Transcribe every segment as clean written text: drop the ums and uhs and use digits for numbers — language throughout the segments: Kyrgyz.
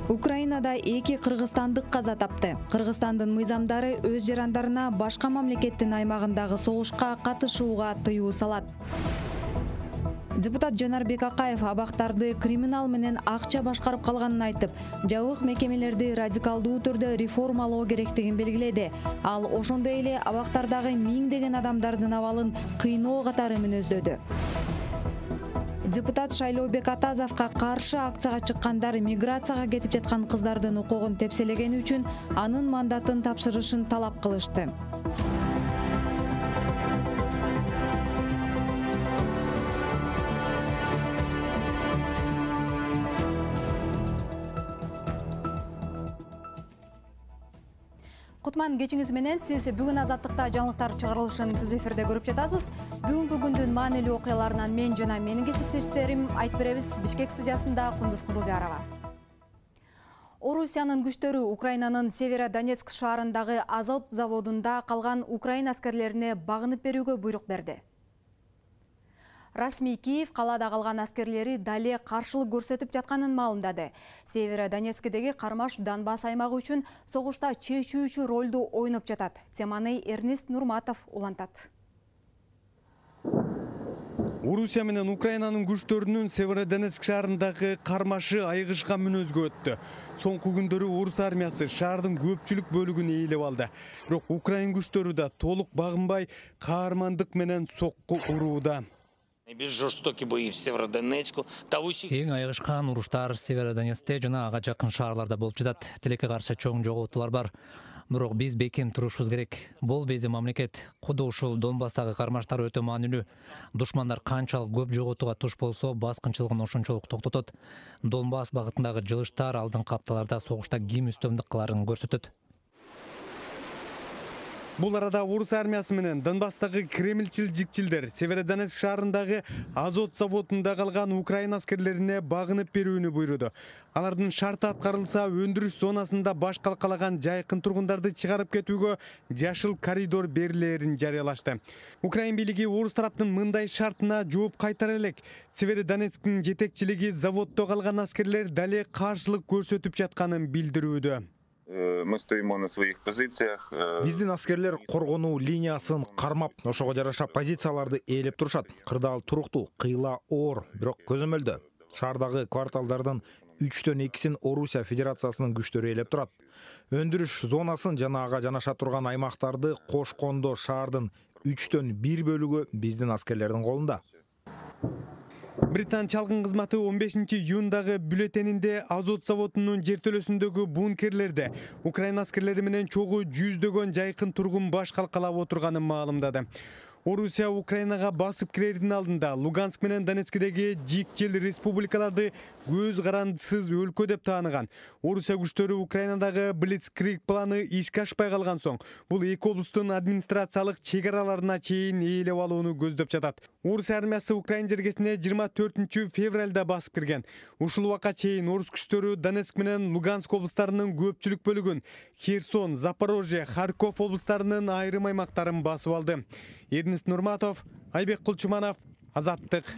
Украинада 2 кыргызстандык каза тапты. Кыргызстандын мыйзамдары өз жарандарына башка мамлекеттин аймагындагы согушка катышууга тыюу салат. Депутат Жанарбек Акаев абактарды криминал менен акча башкарып калганын айтып, жабык мекемелерди радикалдуу түрдө реформалоо керектигин белгиледи. Ал ошондой эле абактардагы миңдеген адамдардын абалын кыйноо катары мүнөздөдү. Депутат Шайлообек Атазовго каршы акцияга чыккандар миграцияга кетип жаткан кыздардын укугун тепселегени үчүн анын мандатын тапшырышын талап кылышты. Кутман кечиңиз менен сиз бүгүн Азаттыкта жаңылыктар чыгарылышын түз эфирде көрүп жатасыз. Бүгүнкү күндүн маанилүү окуяларынан мен жана менин кесиптештерим айтып беребиз. Бишкек студиясында Кундуз Кызылжарова. Орусиянын күчтөрү Украинанын Северодонецк шаарындагы азот заводунда калган украин аскерлерине багынып берүүгө буйрук берди. Расмий Киев калаада калган аскерлери дале каршылык көрсөтүп жатканын маалымдады. Северодонецкдеги кармаш Донбасс аймагы үчүн согушта чечүүчү ролду ойноп жатат. Теманы Эрнест Нурматов улантат. Орусия менен Украинанын күчтөрүнүн Северодонецк шаарындагы кармашы айыгышкан мүнөзгө өттү. Соңку күндөрү орус армиясы шаардын көпчүлүк бөлүгүн ээлеп алды. Бирок Украин күчтөрү да толук багынбай каармандык менен сокку урууда. Эң айыгышкан уруштар Северодонецкте жана ага жакын шаарларда болуп жатат. Тилекке каршы чоң жоготуулар бар. Бирок биз бекем турушубуз керек. Бул биздин мамлекет. Куду ушул Донбасстагы кармаштар өтө маанилүү. Душмандар канчалык көп жоготууга туш болсо, баскынчылыгын ошончолук токтотот. Донбасс багытындагы жылыштар алдыңкы апталарда согушта ким үстөмдүк кыларын көрсөтөт. Бул арада орус армиясы менен Донбасстагы кремлчил жикчилдер Северодонецк шаарындагы азот заводунда калган украин аскерлерине багынып берүүнү буйруду. Алардын шарты аткарылса, өндүрүш зонасында баш калкалаган жайкын тургундарды чыгарып кетүүгө жашыл коридор берилерин жарыялашты. Украин бийлиги орус тараптын мындай шартына жооп кайтара элек. Северодонецктин жетекчилиги заводдо калган аскерлер дале каршылык көрсөтүп жатканын билдирүүдө. Мы стоим на своих позициях. Биздин аскерлер коргонуу линиясын кармап, ошого жараша позицияларды ээлеп турушат. Кырдаал туруктуу, кыйла оор, бирок көзөмөлдө. Шаардагы кварталдардын 3/2-син Орусия Федерациясынын күчтөрү ээлеп турат. Өндүрүш зонасын жана ага жанаша турган аймактарды кошкондо шаардын 3/1 бөлүгү биздин аскерлердин колунда. Британ чалгын кызматы 15-июндагы бюллетенинде азот заводунун жертөлөсүндөгү бункерлерде Украин аскерлери менен чогуу жүздөгөн жайкын тургун баш калкалап отурганын маалымдады. Орусия Украинага басып кирердин алдында Луганск менен Донецкдеги жикчил республикаларды көз карандысыз өлкө деп тааныган. Орусия күчтөрү Украинадагы Блицкриг планы ишке ашпай калган соң, бул эки облустун администрациялык чек араларына чейин ээлеп алууну көздөп жатат. Орус армиясы Украин жергесине 24 февралда басып кирген. Ушул убакка чейин орус күчтөрү Донецк менен Луганск облустарынын көпчүлүк бөлүгүн, Херсон, Запорожье, Харьков облустарынын айрым аймактарын басып алды. Эрнест Нурматов, Айбек Кулчуманов, Азаттык.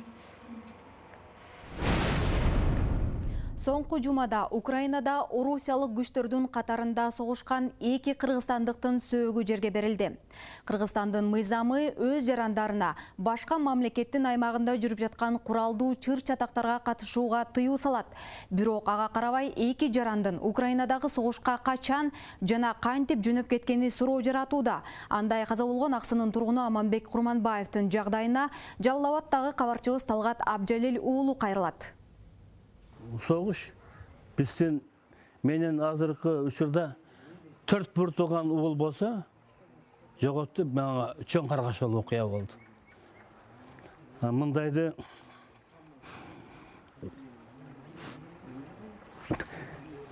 Соңку жумада Украинада орусиялык күчтөрдүн катарында согушкан 2 кыргызстандыктын сөөгү жерге берилди. Кыргызстандын мыйзамы өз жарандарына башка мамлекеттин аймагында жүрүп жаткан куралдуу чыр-чатактарга катышууга тыюу салат. Бирок ага карабай 2 жарандын Украинадагы согушка качан жана кантип жөнөп кеткени суроо жаратууда. Андай каза болгон Аксынын тургуну Аманбек Курманбаевдин жагдайына Жалал Абаддагы кабарчыбыз Талгат Абжалил уулу кайрылат. Согуш биздин менен азыркы учурда 4 бир тууган уул болсо жоготту, мага чоң каргашалы окуя болду. Мындайды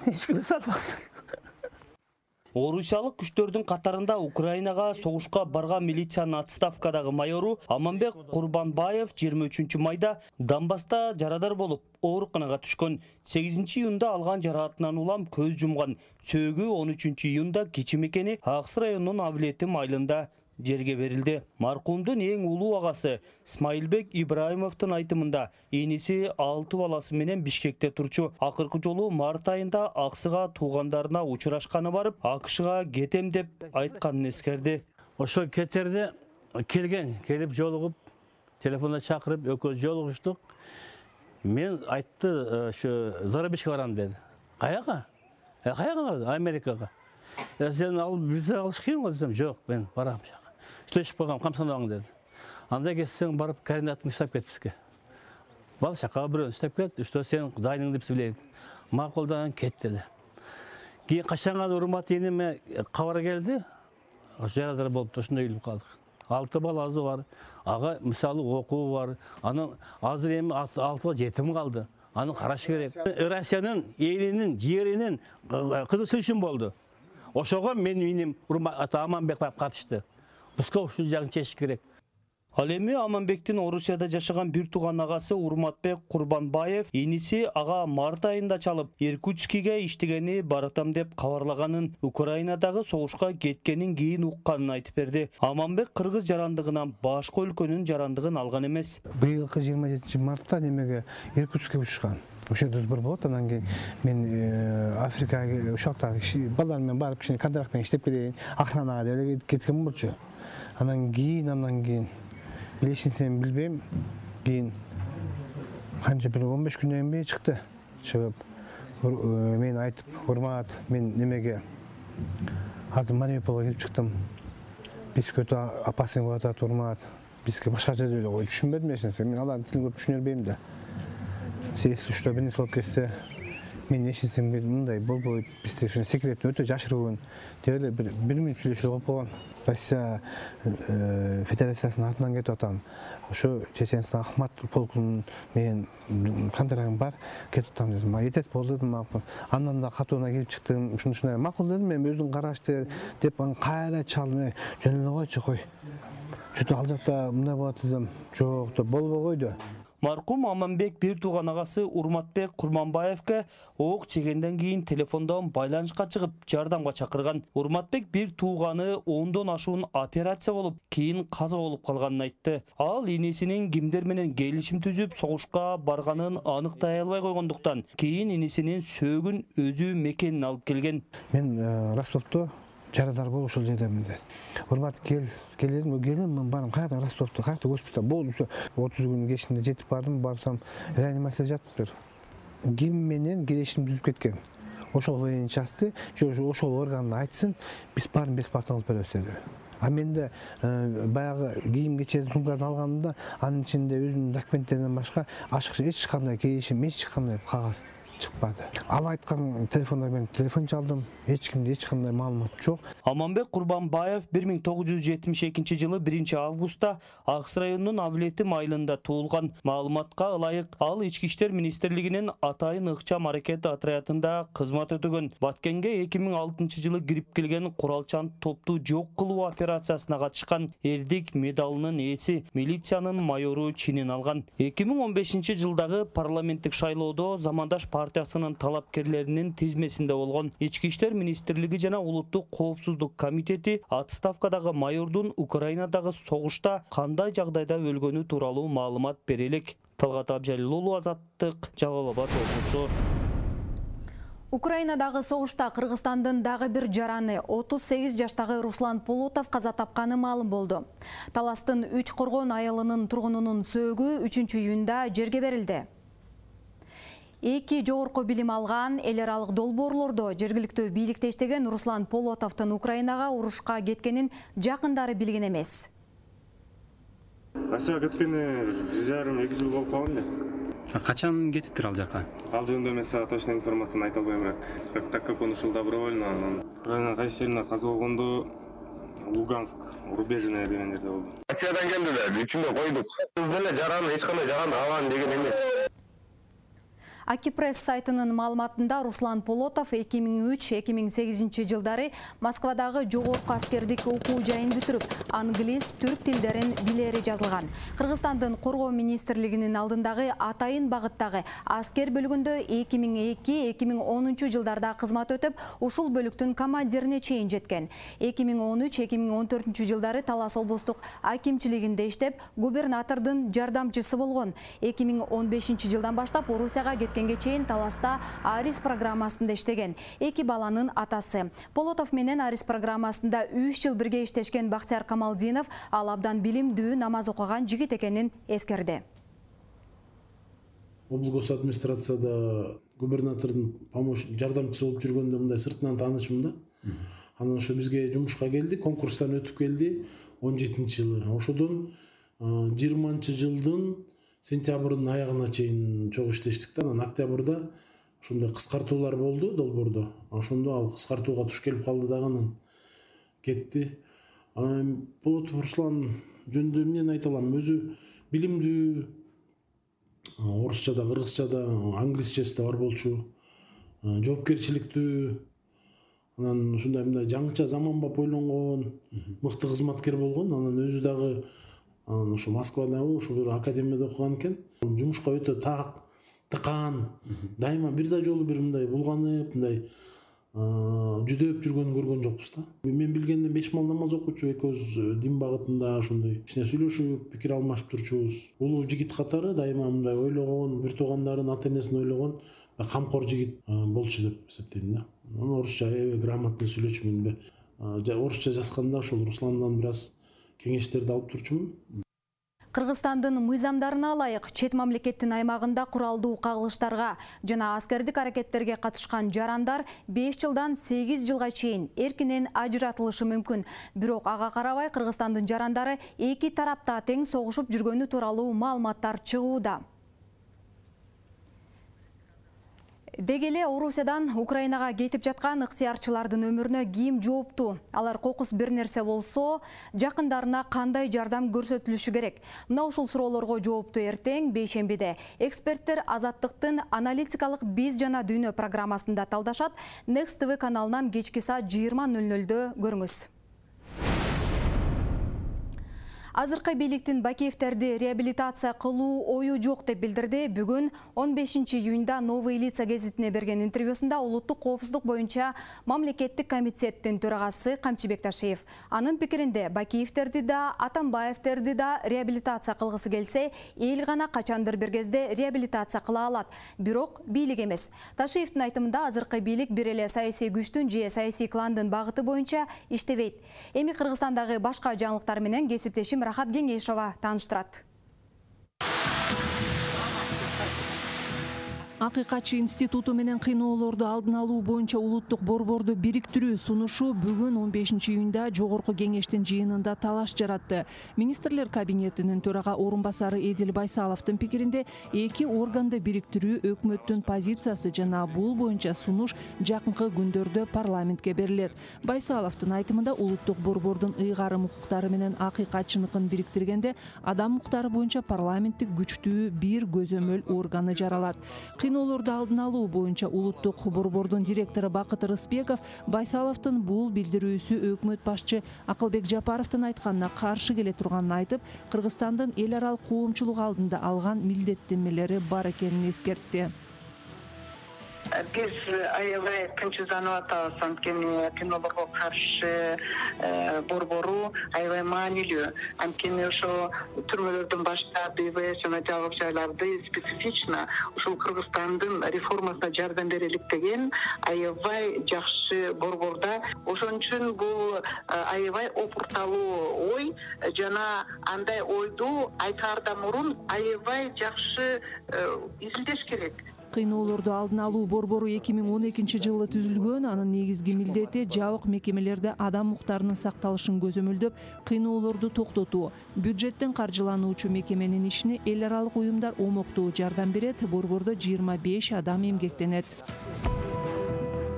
эч ким салбасын. Орусиялык күчтөрдүн катарында Украинага согушка барган милициянын отставкадагы майору Аманбек Курманбаев 23 майда Донбасста жарадар болуп, ооруканага түшкөн. 8 июнда алган жараатынан улам көз жумган. Сөөгү 13 июнда кечи мекени Аксы районунун Авлети майылында жерге берилди. Маркумдун эң улуу агасы Смайылбек Ибраимовдун айтымында эниси 6 баласы менен Бишкекте турчу. Акыркы жолу март айында аксыга туугандарына учурашканы барып, АКШга кетем деп айтканын эскерди. Ошо кетерде келип жолугуп, телефонда чакырып, экөөбүз жолугуштук. Мен айтты, ошо Зарабишке барам деди. Каяга? Каяга барды? Америкага. Сен бизе алыш кыйын го десем, жок, мен барам жака. Сүйлөшүп койгом, камсандабаң деди. Анда кетсең барып координатын иштеп кет бизге. Бал шака бирөө иштеп кет, что сен дайыныңды биз билейик. Макулдан кетти эле. Кийин качанга урмат эниме кабар келди. Жарадар болуп ошондой үйлүп калдык. 6 баласы бар. Ага мисалы окуу бар. Анын азыр эми 6 жетим калды. Аны караш керек. Россиянын элинин, жеринин кызыкчылыгы үчүн болду. Ошого менин иним Аманбек катышты. Бизге ушул жагын чечиш керек. Ал эми Аманбектин Орусияда жашаган бир тууган агасы Урматбек Курбанбаев иниси ага март айында чалып, Иркутскиге иштегени баратам деп кабарлаганын, Украинадагы согушка кеткенин кийин укканын айтып берди. Аманбек кыргыз жарандыгынан башка өлкөнүн жарандыгын алган эмес. Быйылкы 27 мартта немеге Иркутскке учушкан. Ошо сбор болот, анан кийин мен Африкага ушакта балдар менен барып кичине контрактын иштеп келейин, охранага деп кеткен болчу. Анан кийин билесин билбейм, кийин канча бир 15 күндөн кийин чыкты. Чыгып мен айтып, урмат, мен немеге азыр Мариуполго келип чыктым. Бизге өтө опасный болот атат, урмат. Бизге башкача деп ой түшүнбөдүм эч нерсе. Мен алардын тилин көп түшүнө бербейм да. Если что бир нерсе болуп кетсе, мен эч нерсе мындай болбойт. Бизде ушул секретин өтө жашыруун деп эле бир минут сүйлөшүп болуп койгон. Россия Федерациясынын артынан кетип атам. Ошо Чеченстан Ахмат полкунун менен контрагым бар, кетип атам дедим. Жетет болду дедим. Андан да катууна келип чыктым. Ушундай макул дедим, мен өзүң караштыр деп кайра чалдым. Жөн эле койчу, кой. Чөтө ал жакта мындай болот десем, жок деп болбой койду. Маркум Аманбек бир тууган агасы Урматбек Курманбаевке ок чегенден кийин телефондон байланышка чыгып, жардамга чакырган. Урматбек бир тууганы 10дон ашуун операция болуп, кийин каза болуп калганын айтты. Ал инисинин кимдер менен келишим түзүп, согушка барганын аныктай албай койгондуктан, кийин инисинин сөөгүн өзү мекенин алып келген. Мен Ростовто жарадар болуп ушул жердемин деди. Урмат келдим, мен барам, кайда Ростовто, кайда госпиталь болду. 30 күн кечинде жетип бардым, барсам реанимацияда жатыптыр. Ким менен келишим түзүп кеткен. Ошол военный частты, ошол органды айтсын, биз баарын бесплатно алып беребиз деди. А менде баягы кийим кечесин сумкасын алганымда анын ичинде өзүнүн документтеринен башка ашыкча эч кандай келишим, эч кандай кагаз чыкпады. Ал айткан телефондар менен телефон чалдым, эч кимде эч кандай маалымат жок. Аманбек Курбанбаев 1972 жылы 1 августта Акс районунун Авлетим айылында туулган. Маалыматка ылайык, ал Ички иштер министрлигинин Атайын ыкчам аракет отрядында кызмат өтөгөн. Баткенге 2006 жылы кирип келген куралчан топту жок кылуу операциясына катышкан, эрдик медалынын ээси, милициянын майору чинин алган. 2015 жылдагы парламенттик шайлоодо замандаш партиясынын талапкерлеринин тизмесинде болгон. Ички иштер министрлиги жана улуттук коопсуздук комитети отставкадагы майордун Украинадагы согушта кандай жагдайда өлгөнү тууралуу маалымат бере элек. Талгат Абжалил уулу, Азаттык, Жалал Абад облусу. Украинадагы согушта Кыргызстандын дагы бир жараны 38 жаштагы Руслан Полотов каза тапканы маалым болду. Таластын 3 коргон айылынын тургунунун сөөгү 3-июнда жерге берилди. Эки жогорку билим алган эл аралык долбоорлордо жергиликтүү бийликте иштеген Руслан Полотовдун Украинага урушка кеткенин жакындары билген эмес. Россияга кеткени 1,5-2 жыл болуп калган эле. Качан кетиптир ал жака? Ал жөнүндө мен сага точно информацияны айта албайм, бирок так как он ушул добровольно, Украина кайсы жерине каза болгондо Луганск, Рубежное деген жерде болду. Россиядан келдилер, үчүндө койдук. Биз деле жараны эч кандай жараны алган деген эмес. Акипресс сайтынын маалыматында Руслан Полотов 2003-2008 жылдары Москвадагы жогорку аскердик окуу жайын бүтүрүп, англис, түрк тилдерин билери жазылган. Кыргызстандын коргоо министрлигинин алдындагы атайын багыттагы аскер бөлүгүндө 2002-2010 жылдарда кызмат өтүп, ушул бөлүктүн командирине чейин жеткен. 2013-2014 жылдары Талас облустук акимчилигинде иштеп, губернатордун жардамчысы болгон. 2015 жылдан баштап Орусияга кеткенге чейин Таласта Арис программасында иштеген. 2 баланын атасы. Полотов менен Арис программасында 3 жыл бирге иштешкен Бактияр Камалдинов ал абдан билимдүү, намаз окуган жигит экенин эскерди. Облгос администрацияда губернатордун жардамчысы болуп жүргөндө мындай сыртынан таанышмын да. Анан ошо бизге жумушка келди, конкурстан өтүп келди 17-жылы. Ошодон 20-жылдын сентябрдын аягына чейин чогуу иштештик да. Анан октябрда ошондой кыскартуулар болду долбоордо. Ошондо ал кыскартууга туш келип калды дагы, анан кетти. Полотов Руслан жөнүндө эмнени айта алам? Өзү билимдүү, орусча да, кыргызча да, англисчеси да бар болчу, жоопкерчиликтүү, анан ушундай мындай жаңыча заманбап ойлонгон, мыкты кызматкер болгон. Анан өзү дагы ошо Москвада ошо бир академияда окуган экен. Жумушка өтө тыкан, дайыма бир да жолу бир мындай булганып, мындай жүдөп жүргөнүн көргөн жокпуз да. Мен билгенден 5 мал намаз окуучу, экөөбүз дин багытында ошондой кичине сүйлөшүп, пикир алмашып турчубуз. Улуу жигит катары дайыма мындай ойлогон, бир туугандарын, ата-энесин ойлогон, камкор жигит болчу деп эсептейм да. Орусча грамотный сүйлөчүмүн. Орусча жазганда ошол Русландан бир аз кеңештерди алып турчумун. Кыргызстандын мыйзамдарына ылайык чет мамлекеттин аймагында куралдуу кагылыштарга жана аскердик аракеттерге катышкан жарандар 5 жылдан 8 жылга чейин эркинен ажыратылышы мүмкүн. Бирок ага карабай Кыргызстандын жарандары эки тарапта тең согушуп жүргөнү тууралуу маалыматтар чыгууда. Деги эле Орусиядан Украинага кетип жаткан ыктыярчылардын өмүрүнө ким жооптуу? Алар кокус бир нерсе болсо, жакындарына кандай жардам көрсөтүлүшү керек? Мына ушул суроолорго жоопту эртең бейшембиде эксперттер Азаттыктын аналитикалык биз жана дүйнө программасында талдашат. Next TV каналынан кечки саат 20:00-дө көрүңүз. Азыркы бийликтин Бакиевтерди реабилитация кылуу ою жок деп билдирди. Бүгүн 15 июнда Новые лица гезитине берген интервьюсунда улуттук коопсуздук боюнча мамлекеттик комитеттин төрагасы Камчыбек Ташиев. Анын пикиринде Бакиевтерди да, Атамбаевтерди да реабилитация кылгысы келсе, эл гана качандыр бир кезде реабилитация кыла алат. Бирок бийлик эмес. Ташиевдин айтымында азыркы бийлик бир эле саясий күчтүн же саясий кландын багыты боюнча иштебейт. Эми Кыргызстандагы башка жаңылыктар менен кесиптешим Рахат Кеңешова тааныштырат. Акыйкатчы институту менен кыйноолорду алдын алуу боюнча улуттук борборду бириктирүү сунушу бүгүн 15 июнда жогорку кеңештин жыйынында талаш жаратты. Министрлер кабинетинин төрага орун басары Эдил Байсаловдун пикиринде эки органды бириктирүү өкмөттүн позициясы жана бул боюнча сунуш жакынкы күндөрдө парламентке берилет. Байсаловдун айтымында улуттук борбордун ыйгарым укуктары менен акыйкатчыныкын бириктиргенде адам укуктары боюнча парламенттик күчтүү бир көзөмөл органы жаралат. Кыйноолорду алдын алуу боюнча улуттук борбордун директору Бакыт Рыспеков Байсаловдун бул билдирүүсү өкмөт башчы Акылбек Жапаровдун айтканына каршы келе турганын айтып, Кыргызстандын эл аралык коомчулук алдында алган милдеттенмелери бар экенин эскертти. Биз аябай кынчызданып атабыз, анткени кыйноолорго каршы борбору аябай маанилүү. Анткени ошо түрмөлөрдөн баштап БВС жана жабык жайларды специфично ушул Кыргызстандын реформасына жардам берелик деген аябай жакшы борборда. Ошон үчүн бул аябай опурталуу ой жана андай ойду айтаардан мурун аябай жакшы изилдеш керек. Кыйноолорду алдын алуу борбору 2012 жылы түзүлгөн. Анын негизги милдети жабык мекемелерде адам укуктарынын сакталышын көзөмөлдөп, кыйноолорду токтотуу. Бюджеттен каржылануучу мекеменин ишине эл аралык уюмдар омоктуу жардам берет. Борбордо 25 адам эмгектенет.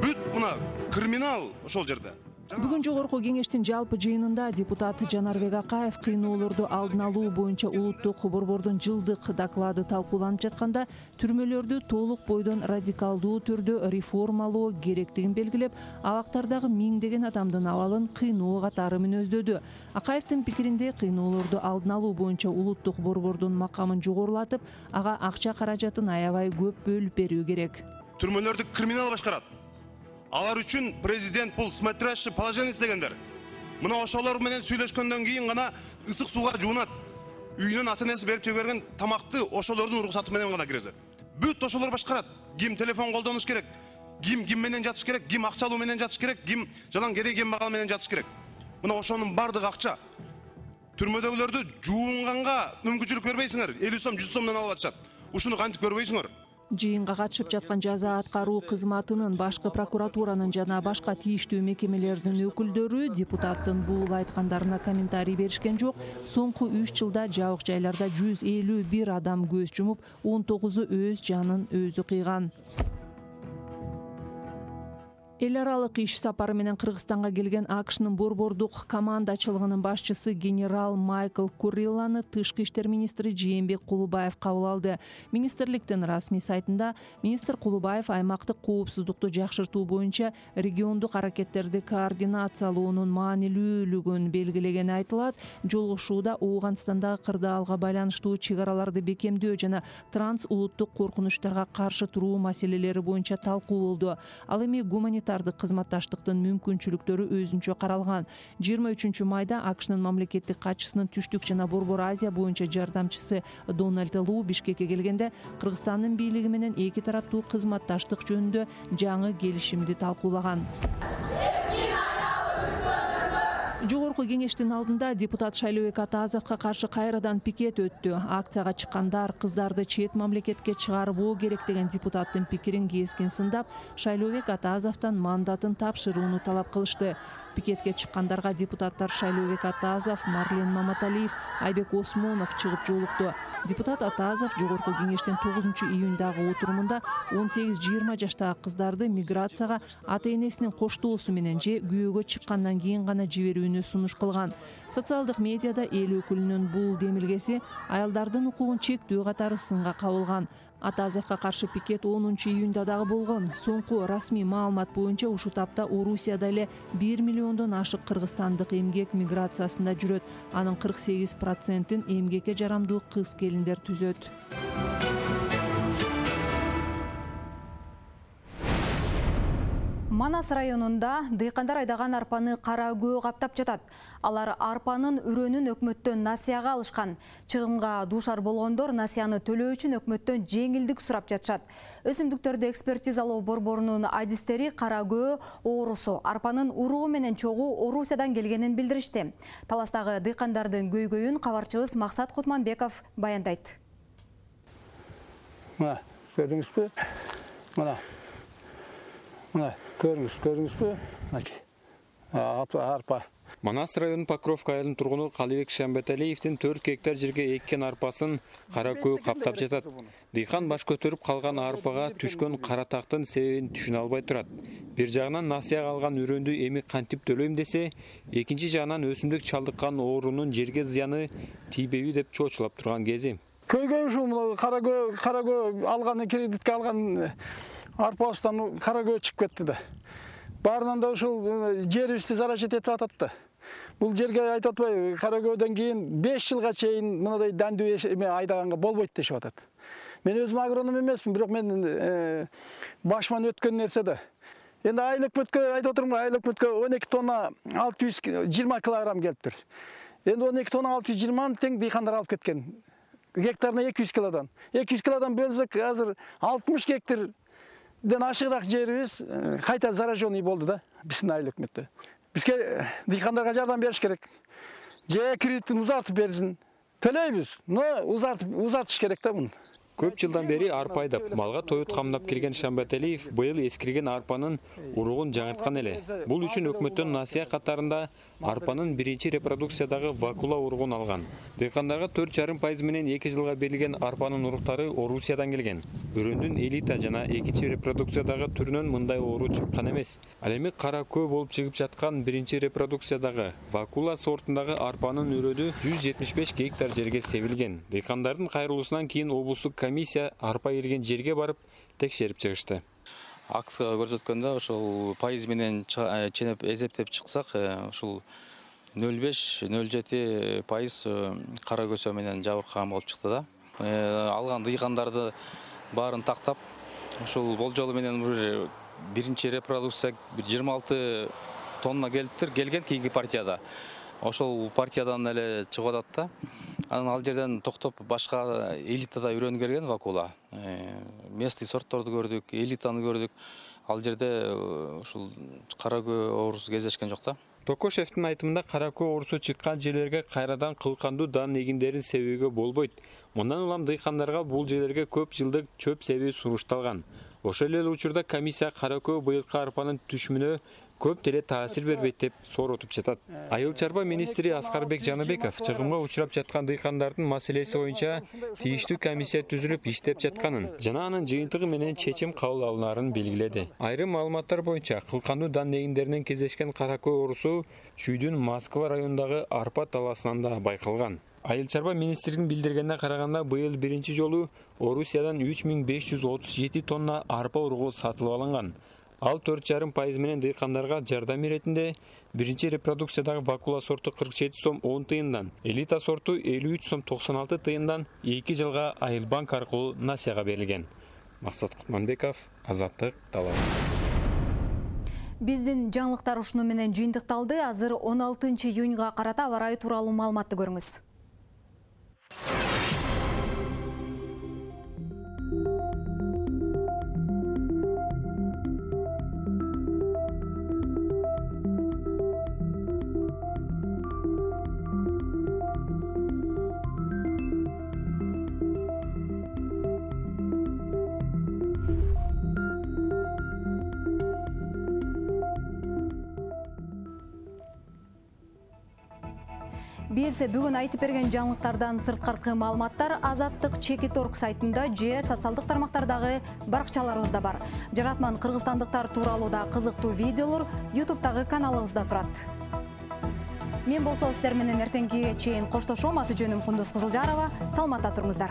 Бүт мына криминал ошол жерде. Бүгүн жогорку кеңештин жалпы жыйынында депутат Жанарбек Акаев кыйноолорду алдын алуу боюнча улуттук борбордун жылдык доклады талкууланып жатканда түрмөлөрдү толук бойдон радикалдуу түрдө реформалоо керектигин белгилеп, абактардагы миңдеген адамдын абалын кыйноо катары мүнөздөдү. Акаевдин пикиринде кыйноолорду алдын алуу боюнча улуттук борбордун макамын жогорулатып, ага акча каражатын аябай көп бөлүп берүү керек. Түрмөлөрдү криминал башкарат. Алар үчүн президент бул смотрящий положенец дегендер. Мына ошолор менен сүйлөшкөндөн кийин гана ысык сууга жуунат. Үйүнөн ата-энеси берип жиберген тамакты ошолордун уруксаты менен гана киргизет. Бүт ошолор башкарат. Ким телефон колдонуш керек, ким менен жатыш керек, ким акча алуу менен жатыш керек, ким жалаң кедей кембагал менен жатыш керек. Мына ошонун бардыгы акча. Түрмөдөгүлөрдү жуунганга мүмкүнчүлүк бербейсиңер. 50 сом, 100 сомдон алып атышат. Ушуну кантип көрбөйсүңөр? Жыйынга катышып жаткан жаза аткаруу кызматынын, башкы прокуратуранын жана башка тийиштүү мекемелердин өкүлдөрү депутаттын бул айткандарына комментарий беришкен жок. Соңку 3 жылда жабык жайларда 151 адам көз жумуп, 19-у өз жанын өзү кыйган. Эл аралык иш сапары менен Кыргызстанга келген АКШнын борбордук командачылыгынын башчысы генерал Майкл Куррилланы тышкы иштер министри Жээнбек Кулубаев кабыл алды. Министрликтин расмий сайтында министр Кулубаев аймактык коопсуздукту жакшыртуу боюнча региондук аракеттерди координациялоонун маанилүүлүгүн белгилегени айтылат. Жолугушууда Ооганстандагы кырдаалга байланыштуу чек араларды бекемдөө жана транс улуттук коркунучтарга каршы туруу маселелери боюнча талкуу болду. Ал эми гуманитардык кызматташтыктын мүмкүнчүлүктөрү өзүнчө каралган. 23 майда АКШнын мамлекеттик катчысынын Түштүк жана Борбор Азия боюнча жардамчысы Дональд Лу Бишкекке келгенде Кыргызстандын бийлиги менен эки тараптуу кызматташтык жөнүндө жаңы келишимди талкуулаган. Жогорку кеңештин алдында депутат Шайлообек Атазовго каршы кайрадан пикет өттү. Акцияга чыккандар кыздарды чет мамлекетке чыгарбоо керек деген депутаттын пикирин кескин сындап, Шайлообек Атазовдон мандатын тапшырууну талап кылышты. Пикетке чыккандарга депутаттар Шайлообек Атазов, Марлен Маматалиев, Айбек Осмонов чыгып жолукту. Депутат Атазов жогорку кеңештин 9-июндагы отурумунда 18-20 жаштагы кыздарды миграцияга ата-энесинин коштоосу менен же күйөөгө чыккандан кийин гана жиберүүнү сунуш кылган. Социалдык медиада эл өкүлүнүн бул демилгеси аялдардын укугун чектөө катары сынга кабылган. Атазовго каршы пикет 10-июнда дагы болгон. Соңку расмий маалымат боюнча ушул тапта Орусияда эле 1 миллиондон ашык кыргызстандык эмгек миграциясында жүрөт. Анын 48%-ин эмгекке жарамдуу кыз-келиндер түзөт. Манас районунда дыйкандар айдаган арпаны кара көө каптап жатат. Алар арпанын үрөнүн өкмөттөн насыяга алышкан. Чыгымга дуушар болгондор насыяны төлөө үчүн өкмөттөн жеңилдик сурап жатышат. Өсүмдүктөрдү экспертизалоо борборунун адистери кара көө оорусу арпанын уругу менен чогуу Орусиядан келгенин билдиришти. Таластагы дыйкандардын көйгөйүн кабарчыбыз Максат Кутманбеков баяндайт. Мына, көрдүңүзбү? Мына көрдүңүзбү? Арпа. Манас районунун Покровка айылынын тургуну Калыбек Шамбеталиевдин 4 гектар жерге эккен арпасын кара көө каптап жатат. Дыйкан баш көтөрүп калган арпага түшкөн кара тактын себебин түшүнө албай турат. Бир жагынан насыяга алган үрөндү эми кантип төлөйм десе, экинчи жагынан өсүмдүк чалдыккан оорунун жерге зыяны тийбейби деп чоочулап турган кези. Көйгөй ушул кара көө алган кредитке алган арпабыздан кара көө чыгып кетти да. Баарынан да ушул жерибизди зарачет этип атат да. Бул жерге айтып атпайбы, кара көөдөн кийин 5 жылга чейин мындай дандүү айдаганга болбойт дешип атат. Мен өзүм агроном эмесмин, бирок мен башыман өткөн нерсе да. Эndi айыл өкмөткө айтып отурмун, айыл өкмөткө 12 тонна 620 килограмм келиптир. Эndi 12 тонна 620 тең дыйкандар алып кеткен. Гектарына 200 килодан. 200 килодан бөлсөк, азыр 60 гектарден ашыгыраак жерибиз кайта зараженный болду да, биздин айыл өкмөттө. Бизге дыйкандарга жардам бериш керек. Же кредитин узартып берсин. Төлөйбүз, но узартыш керек да муну. Көп жылдан бери арпа айдап, малга тоют камдап келген Шамбеталиев быйыл эскирген арпанын уругун жаңырткан эле. Бул үчүн өкмөттөн насыя катарында арпанын биринчи репродукциядагы вакула уругун алган. Дыйкандарга 4,5% менен 2 жылга берилген арпанын уруктары Орусиядан келген. Өрөндүн элита жана экинчи репродукциядагы түрүнөн мындай оору чыккан эмес. Ал эми кара көө болуп чыгып жаткан биринчи репродукциядагы вакула сортундагы арпанын өрөдү 175 гектар жерге себилген. Дыйкандардын кайрылуусунан кийин облустук комиссия арпа эрген жерге барып текшерип чыгышты. Актыга көрсөткөндө ошол пайыз менен ченеп эсептеп чыксак, ушул 0,5-0,7% кара көсө менен жабыркаган болуп чыкты да. Алган дыйкандарды баарын тактап, ушул болжолу менен биринчи репродукция 26 тонна келген кийинки партияда. Ошол партиядан эле чыгып атат да. Анан ал жерден токтоп башка элитада үйрөнүп келген вакула. Местный сортторду көрдүк, элитаны көрдүк. Ал жерде ушул кара көө оорусу кездешкен жок да. Токошевдин айтымында кара көө оорусу чыккан жерлерге кайрадан кылкандуу дан эгиндерин себүүгө болбойт. Мындан улам дыйкандарга бул жерлерге көп жылдык чөп себүү сурушталган. Ошол эле учурда комиссия кара көө быйылкы арпанын түшүмүнө көп деле таасир бербейт деп соротуп жатат. Айыл чарба министри Аскарбек Жаныбеков чыгымга учурап жаткан дыйкандардын маселеси боюнча тийиштүү комиссия түзүлүп иштеп жатканын жана анын жыйынтыгы менен чечим кабыл алынаарын белгиледи. Айрым маалыматтар боюнча кылкандуу дан эгиндеринен кездешкен кара көө оорусу Чүйдүн Москва районундагы арпа талаасынан да байкалган. Айыл чарба министринин билдиргенине караганда быйыл биринчи жолу Орусиядан 3537 тонна арпа уругу сатылып алынган. Ал 4,5% менен дыйкандарга жардам иретинде биринчи репродукциядагы вакула сорту 47 сом 10 тыйындан, элита сорту 53 сом 96 тыйындан 2 жылга Айылбанк аркылуу насияга берилген. Максат Кутманбеков, Азаттык, Талас. Биздин жаңылыктар ушуну менен жыйынтыкталды. Азыр 16 июнга карата аба ырайы тууралуу маалыматты көрүңүз. Биз бүгүн айтып берген жаңылыктардан сырткаркы маалыматтар Азаттык.org сайтында же социалдык тармактардагы баракчаларыбызда бар. Жаратман кыргызстандыктар тууралуу да кызыктуу видеолор YouTube'дагы каналыбызда турат. Мен болсо сиздер менен эртеңкиге чейин коштошом. Аты жөнүм Кундуз Кызылжарова. Саламатта туруңуздар.